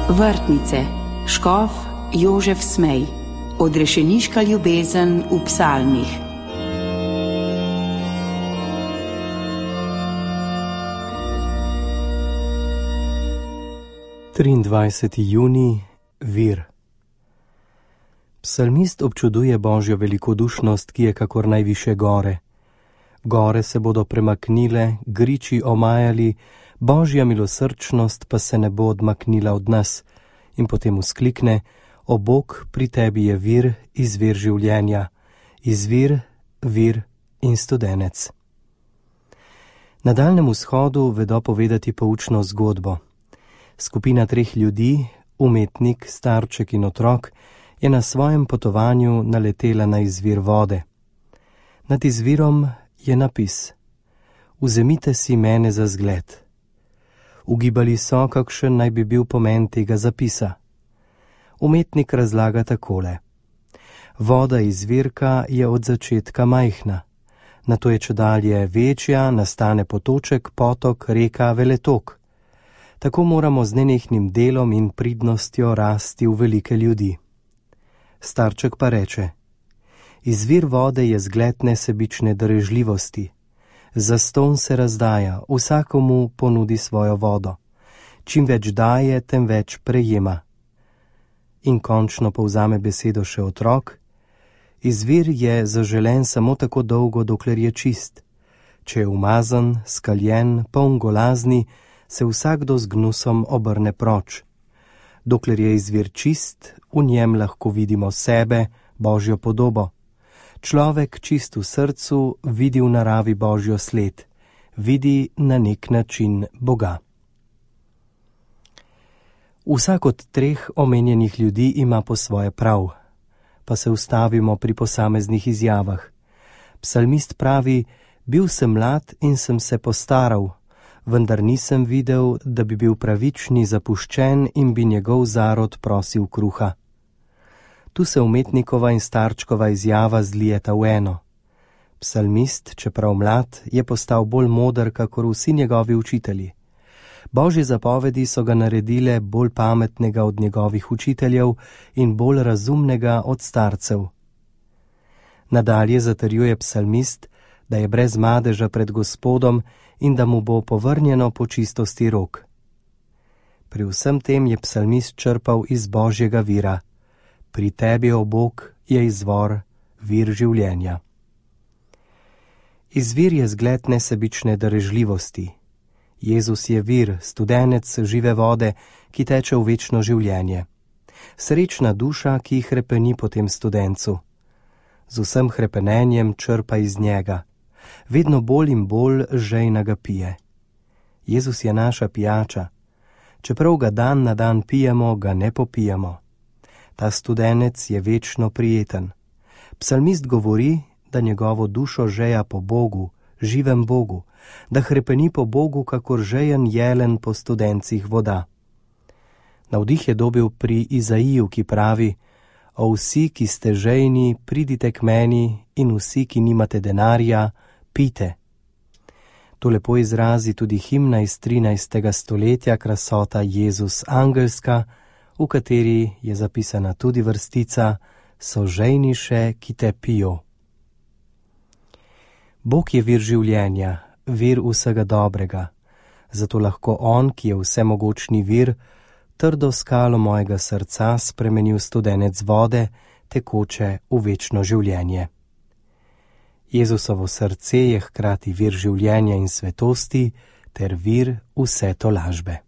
Vrtnice, škof Jožef Smej, odrešeniška ljubezen v psalmih. Junij, vir. Psalmist občuduje Božjo velikodušnost, ki je kakor najviše gore. Gore se bodo premaknile, griči omajali, Božja milosrčnost pa se ne bo odmaknila od nas. In potem vzklikne: O Bog, pri tebi je vir, izvir življenja, izvir, vir in studenec. Na Daljnem vzhodu vedo povedati poučno zgodbo. Skupina 3 ljudi, umetnik, starček in otrok, je na svojem potovanju naletela na izvir vode. Nad izvirom je napis: Vzemite si mene za zgled. Ugibali so, kakšen naj bi bil pomen tega zapisa. Umetnik razlaga takole: Voda izvirka je od začetka majhna, nato je čedalje večja, nastane potoček, potok, reka, veletok. Tako moramo z nenehnim delom in pridnostjo rasti v velike ljudi. Starček pa reče: Izvir vode je zgled nesebične darežljivosti. Zastonj se razdaja, vsakomu ponudi svojo vodo. Čim več daje, tem več prejema. In končno povzame besedo še otrok: Izvir je zaželen samo tako dolgo, dokler je čist. Če je umazan, skaljen, poln golazni, se vsakdo z gnusom obrne proč. Dokler je izvir čist, v njem lahko vidimo sebe, Božjo podobo. Človek čist v srcu vidi v naravi Božjo sled, vidi na nek način Boga. Vsak od 3 omenjenih ljudi ima po svoje prav, pa se ustavimo pri posameznih izjavah. Psalmist pravi: Bil sem mlad in sem se postaral, vendar nisem videl, da bi bil pravični zapuščen in bi njegov zarod prosil kruha. Tu se umetnikova in starčkova izjava zlijeta v eno. Psalmist, čeprav mlad, je postal bolj moder, kakor vsi njegovi učitelji. Božje zapovedi so ga naredile bolj pametnega od njegovih učiteljev in bolj razumnega od starcev. Nadalje zatrjuje psalmist, da je brez madeža pred Gospodom in da mu bo povrnjeno po čistosti rok. Pri vsem tem je psalmist črpal iz Božjega vira. Pri tebi, o Bog, je izvor, vir življenja. Izvir je zgled nesebične darežljivosti. Jezus je vir, studenec žive vode, ki teče v večno življenje. Srečna duša, ki hrepeni po tem studencu. Z vsem hrepenenjem črpa iz njega. Vedno bolj in bolj žejna ga pije. Jezus je naša pijača. Čeprav ga dan na dan pijemo, ga ne popijemo. Ta studenec je večno prijeten. Psalmist govori, da njegovo dušo žeja po Bogu, živem Bogu, da hrepeni po Bogu, kakor žejen jelen po studencih voda. Navdih je dobil pri Izaiju, ki pravi: O vsi, ki ste žejni, pridite k meni, in vsi, ki nimate denarja, pite. To lepo izrazi tudi himna iz 13. stoletja, Krasota Jezus angelska, v kateri je zapisana tudi vrstica: So žejni še, ki te pijo. Bog je vir življenja, vir vsega dobrega. Zato lahko on, ki je vsemogočni vir, trdo skalo mojega srca spremeni v studenec vode, tekoče v večno življenje. Jezusovo srce je hkrati vir življenja in svetosti ter vir vse tolažbe.